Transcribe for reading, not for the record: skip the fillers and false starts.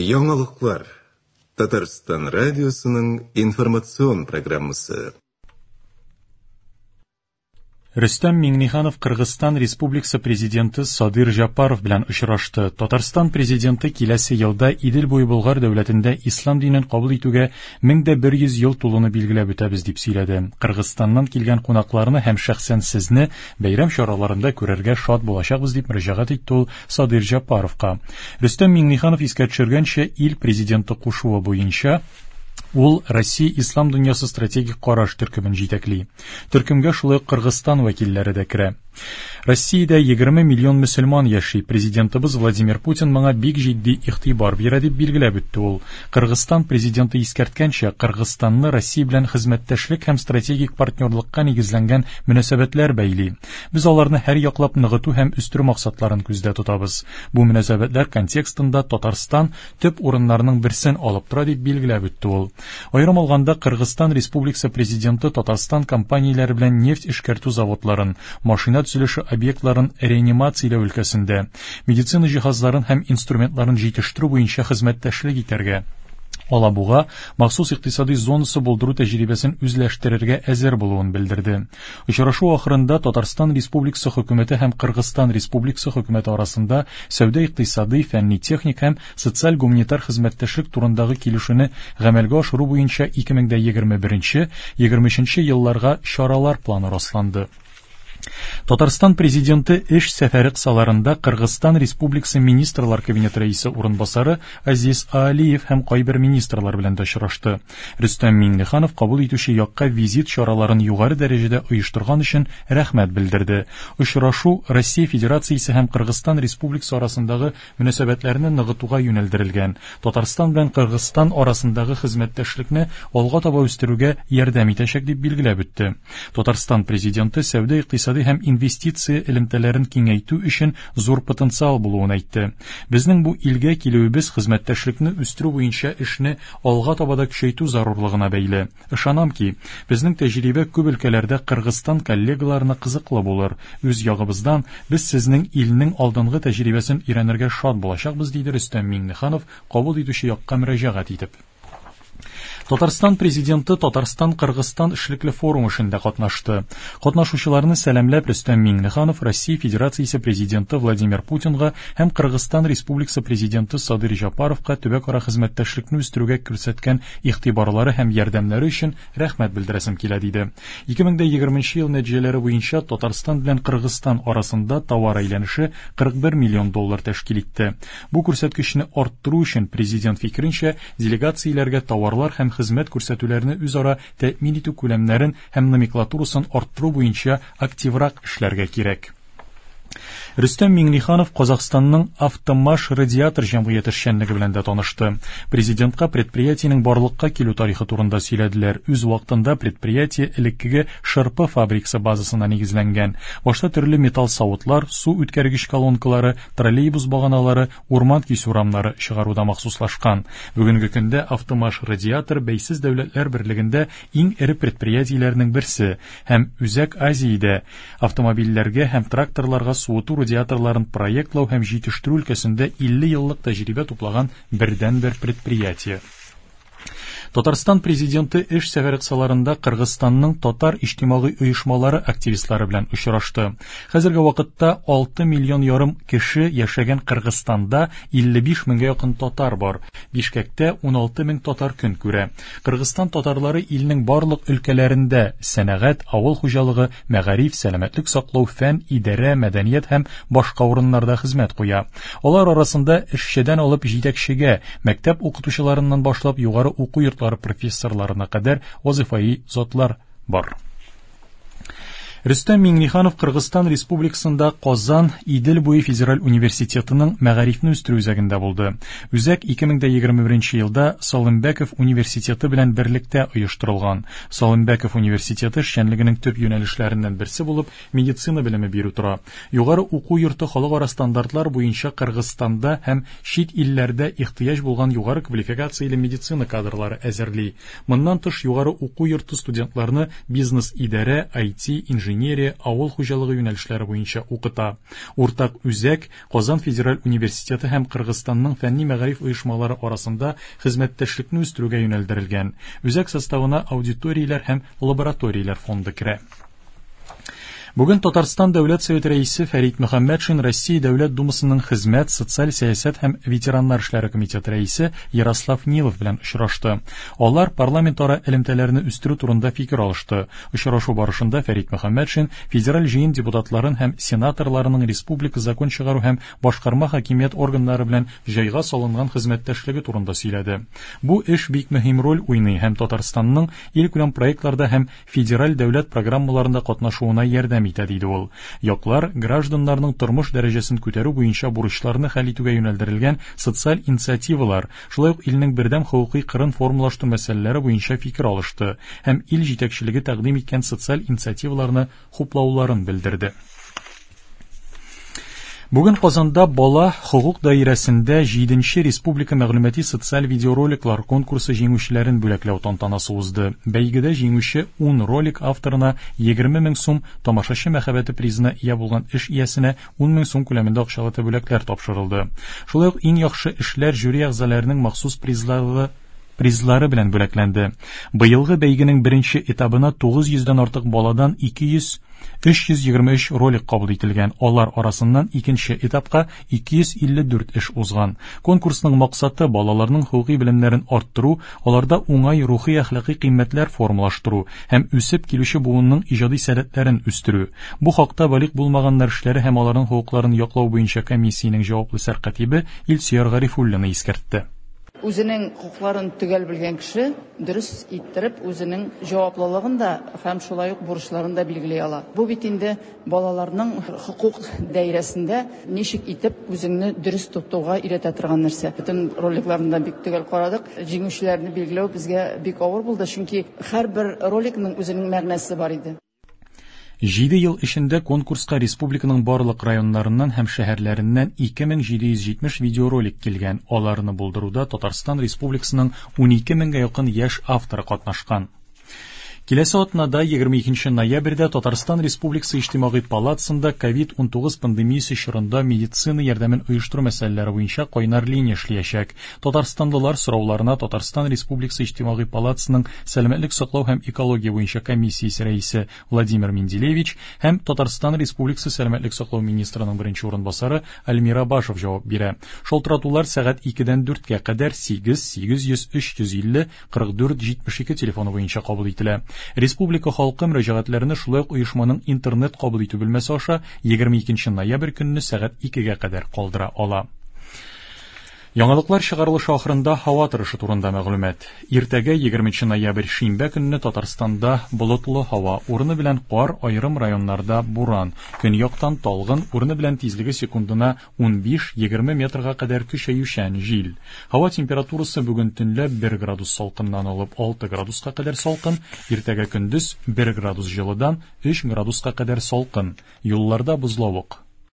Яңалыклар. Татарстан радиосының информацион программасы. Рөстәм Миңнеханов Кыргызстан Республикасы президенты Садыр Жапаров белән очрашты. Татарстан президенты киләсе елда Идел буе Болгар дәүләтендә ислам динен кабул итүгә 1100 ел тулуны билгеләп үтәбез дип сөйләде. Кыргызстаннан килгән кунакларны һәм шәхсән сезне бәйрәм чараларында күрергә шат булачакбыз дип мөрәҗәгать итте ул Садыр Жапаровка. Рөстәм Миңнеханов искә төшергәнчә, ил президенты кушуы буенча ул Россия Ислам дөньясы стратегик караш төркемен җитәкли. Төркемгә шулай ук Кыргызстан вәкилләре дә керә. Россиядә 20 миллион мөселман яши. Президентыбыз Владимир Путин моңа бик җитди игътибар бирә дип билгеләп үтте ул. Кыргызстан президенты искәрткәнчә, Кыргызстанны Россия белән хезмәттәшлек һәм стратегик партнерлыкка нигезләнгән мөнәсәбәтләр бәйли. Без аларны һәр яклап ныгыту һәм үстерү максатларын күздә тотабыз. Бу мөнәсәбәтләр контекстында Татарстан төп урыннарның берсен алып тора дип билгеләп үтте ул. Аерым алганда, Кыргызстан Республикасы президенты Татарстан компанияләре белән нефть эшкәртү заводларын, машина төзелеше объектларын реанимацияләү өлкәсендә, медицина җиһазларын һәм инструментларын җитештерү буенча хезмәттәшлек итәргә, Алабуга махсус икътисади зонасы булдыру тәҗрибәсен үзләштерергә әзер булуын белдерде. Очрашу ахырында Татарстан Республикасы хөкүмәте һәм Кыргызстан Республикасы хөкүмәте арасында сәүдә-икътисади, фәнни-техник һәм социаль-гуманитар хезмәттәшлек турындагы килешүне гамәлгә ашыру буенча 2021-2023 елларга чаралар планы расланды. Татарстан президенты эш сәфәре кысаларында Кыргызстан Республикасы Министрлар Кабинеты рәисе урынбасары Азиз Аалиев һәм кайбер министрлар белән дә очрашты. Рөстәм Миңнеханов кабул итүче якка визит чараларын югары дәрәҗәдә оештырган өчен рәхмәт белдерде. Очрашу Россия Федерациясе һәм Кыргызстан Республикасы арасындагы мөнәсәбәтләрне ныгытуга юнәлдерелгән, Татарстан белән Кыргызстан арасындагы хезмәттәшлекне алга таба үстерүгә ярдәм итәчәк дип билгеләп үтте. Татарстан президенты сәүдә-икътисади һәм инвестиция элемтәләрен киңәйтү өчен зур потенциал булуын әйтте. Безнең бу илгә килүебез хезмәттәшлекне үстерү буенча эшне алга таба да көчәйтү зарурлыгына бәйле. Ышанам ки, безнең тәҗрибә күп өлкәләрдә Кыргызстан коллегаларына кызыклы булыр. Үз ягыбыздан без сезнең илнең алдынгы тәҗрибәсен өйрәнергә шат булачакбыз, диде Рөстәм Миңнеханов кабул итүче якка мөрәҗәгать итеп. Татарстан президенты Татарстан-Кыргызстан эшлекле форум эшендә катнашты. Катнашучыларны сәламләп Рөстәм Миңнеханов Россия Федерациясе президенты Владимир Путинга һәм Кыргызстан Республикасы президенты Садыр Жапаровка төбәкара хезмәттәшлекне үстерүгә күрсәткән игътибарлары һәм ярдәмнәре өчен рәхмәт белдерәсем килә, диде. 2020 ел нәтиҗәләре буенча Татарстан белән Кыргызстан арасында товар әйләнеше 41 миллион доллар тәшкил итте. Бу күрсәткечне арттыру өчен президент фикеренчә, делегацияләргә товарлар һәм хезмәт күрсәтүләрне үзара тәэмин итү күләмнәрен һәм номенклатурасын арттыру буенча активрак эшләргә кирәк. Рөстәм Миңнеханов Казахстанның Автомаш радиатор җәмгыяте эшчәнлеге белән дә танышты. Президентка предприятиенең барлыкка килү тарихы турында сөйләделәр. Үз вакытында предприятие элеккеге шырпы фабрикасы базасына нигезләнгән. Башта төрле металл савытлар, су үткәргеч колонкалары, троллейбус баганалары, урман кисү рамнары чыгаруда махсуслашкан. Бүгенге көндә Автомаш радиатор бәйсез дәүләтләр берлегендә иң эре предприятиеләрнең берсе һәм Үзәк Азиядә автомобильләргә һәм тракторларга суыту радиаторларын проектлау һәм җитештерү өлкәсендә 50 еллык тәҗрибә туплаган бердәнбер предприятие. Татарстан президенты эш сәфәре кысаларында Кыргызстанның татар иҗтимагый оешмалары активистлары белән очрашты. Хәзерге вакытта 6 миллион ярым кеше яшәгән Кыргызстанда 55 меңгә якын татар бар. Бишкәктә 16 мең татар көн күрә. Кыргызстан татарлары илнең барлык өлкәләрендә сәнәгать, авыл хуҗалыгы, мәгариф, сәламәтлек саклау, фән, идарә, мәдәният һәм башка урыннарда хезмәт куя. Алар арасында эшчедән алып җитәкчегә, мәктәп укытучыларыннан башлап югары уку йортлары профессорларына кадәр вазифаи затлар бар. Рөстәм Миңнеханов Кыргызстан Республикасында Казан Идел буе федераль университетының мәгарифне үстерү үзәгендә булды. Үзәк 2021 елда Салымбеков университеты белән берлектә оештырылган. Салымбеков университеты эшчәнлегенең төп юнәлешләреннән берсе булып медицина белеме бирү тора. Югары уку йорты халыкара стандартлар буенча Кыргызстанда һәм чит илләрдә ихтыяҗ булган югары квалификацияле медицина кадрлары әзерли. Моннан тыш югары уку йорты студентларны бизнес идарә, IT, инженер инженерия, авыл хуҗалыгы юнәлешләре буенча укыта. Уртак үзәк Казан федераль университеты һәм Кыргызстанның фәнни мәгариф оешмалары арасында хезмәттәшлекне үстерүгә юнәлдерелгән. Үзәк составына аудиторияләр һәм лабораторияләр фонды керә. Бүген Татарстан Дәүләт Советы рәисе Фәрит Мөхәммәтшин Россия Дәүләт Думасының Хезмәт, социаль сәясәт һәм ветераннар эшләре комитеты рәисе Ярослав Нилов белән очрашты. Алар парламентара элемтәләрне үстерү турында фикер алышты. Очрашу барышында Фәрит Мөхәммәтшин федераль җыен депутатларын һәм сенаторларының республика закон чыгару һәм башкарма хакимият органнары белән җайга салынган хезмәттәшлеге турында сөйләде. Бу эш бик мөһим роль уйный һәм Татарстанның илкүләм проектларда һәм федераль дәүләт программаларында катнашуына ярдәм итә, диде ул. Яклар гражданнарның тормыш дәрәҗәсен күтәрү буенча бурычларны хәл итүгә юнәлдерелгән социаль инициативалар, шулай ук илнең бердәм хокукый кырын формалаштыру мәсьәләләре буенча фикер алышты һәм ил җитәкчелеге тәкъдим иткән социаль инициативаларны хуплауларын белдерде. Бүген Казанда бала хокук даирәсендә 7нче республика мәгълүмати социаль видеороликлар конкурсы җиңүчеләрен бүләкләү тантанасы узды. Бәйгедә җиңүче 10 ролик авторына 20 мең сум, тамашачы мәхәббәте призына ия булган эш иясенә 10 мең сум күләмендә акчалата бүләкләр тапшырылды. Шулай ук иң яхшы эшләр жюри әгъзаларының махсус призлары белән бүләкләнде. Быелгы бәйгенең беренче этабына 900дән артык баладан 323 ролик кабул ителгән. Алар арасыннан икенче этапка 254 эш узган. Конкурсның максаты балаларның хокукый белемнәрен арттыру, аларда уңай рухи әхлакый кыйммәтләр формалаштыру һәм үсеп килүче буынның иҗади сәләтләрен үстерү. Бу хакта балигъ булмаганнар эшләре һәм аларның хокукларын яклау буенча комиссиянең җаваплы сәркатибе Илсөяр Гарифуллина искәртте. Үзенең хокукларын төгәл белгән кеше дөрес иттереп үзенең җаваплылыгын да һәм шулай ук бурычларын да билгели ала. Бу бит инде балаларның хокук даирәсендә ничек итеп үзеңне дөрес тотуга өйрәтә торган нәрсә. Бөтен роликларны да бик төгәл карадык. Җиңүчеләрне билгеләү безгә бик авыр булды, чөнки һәрбер роликның үзенең мәгънәсе бар иде. 7 ел эчендә конкурска республиканың барлык районнарыннан һәм шәһәрләреннән 2770 видеоролик килгән. Аларны булдыруда Татарстан Республикасының 12 меңгә якын яшь авторы катнашкан. Киләсе атнада 22 ноябрьдә Татарстан Республикасы Иҗтимагый палатасында COVID-19 пандемиясе чорында медицина ярдәмен оештыру мәсьәләләре буенча кайнар линия эшләячәк. Татарстанлылар сорауларына Татарстан Республикасы Иҗтимагый палатасының сәламәтлек саклау һәм экология буенча комиссиясе рәисе Владимир Менделевич һәм Татарстан Республикасы сәламәтлек саклау министрының беренче урынбасары Альмира Башев җавап бирә. Шалтыратулар сәгать 2-дән 4-кә кадәр 8 800 350 44 72 телефоны буенча кабул ителә. Республика халкы мөрәҗәгатьләрне шулай ук оешманың интернет кабул итү бүлмәсе аша 22 ноябрь көнне сәгать 2-гә кадәр калдыра ала. Яңалыклар чыгарылышы ахырында һава торышы турында мәгълүмат. Иртәгә 20 ноябрь шимбә көнне Татарстанда болытлы һава, урыны белән кар, аерым районнарда буран. Көньяктан талгын, урыны белән тизлеге секундына 15-20 метрга кадәр көчәючән җил. Һава температурасы бүген төнлә 1 градус салкыннан алып 6 градуска кадәр салкын, иртәгә көндез 1 градус җылыдан 3 градуска кадәр салкын. Юлларда бозлавык.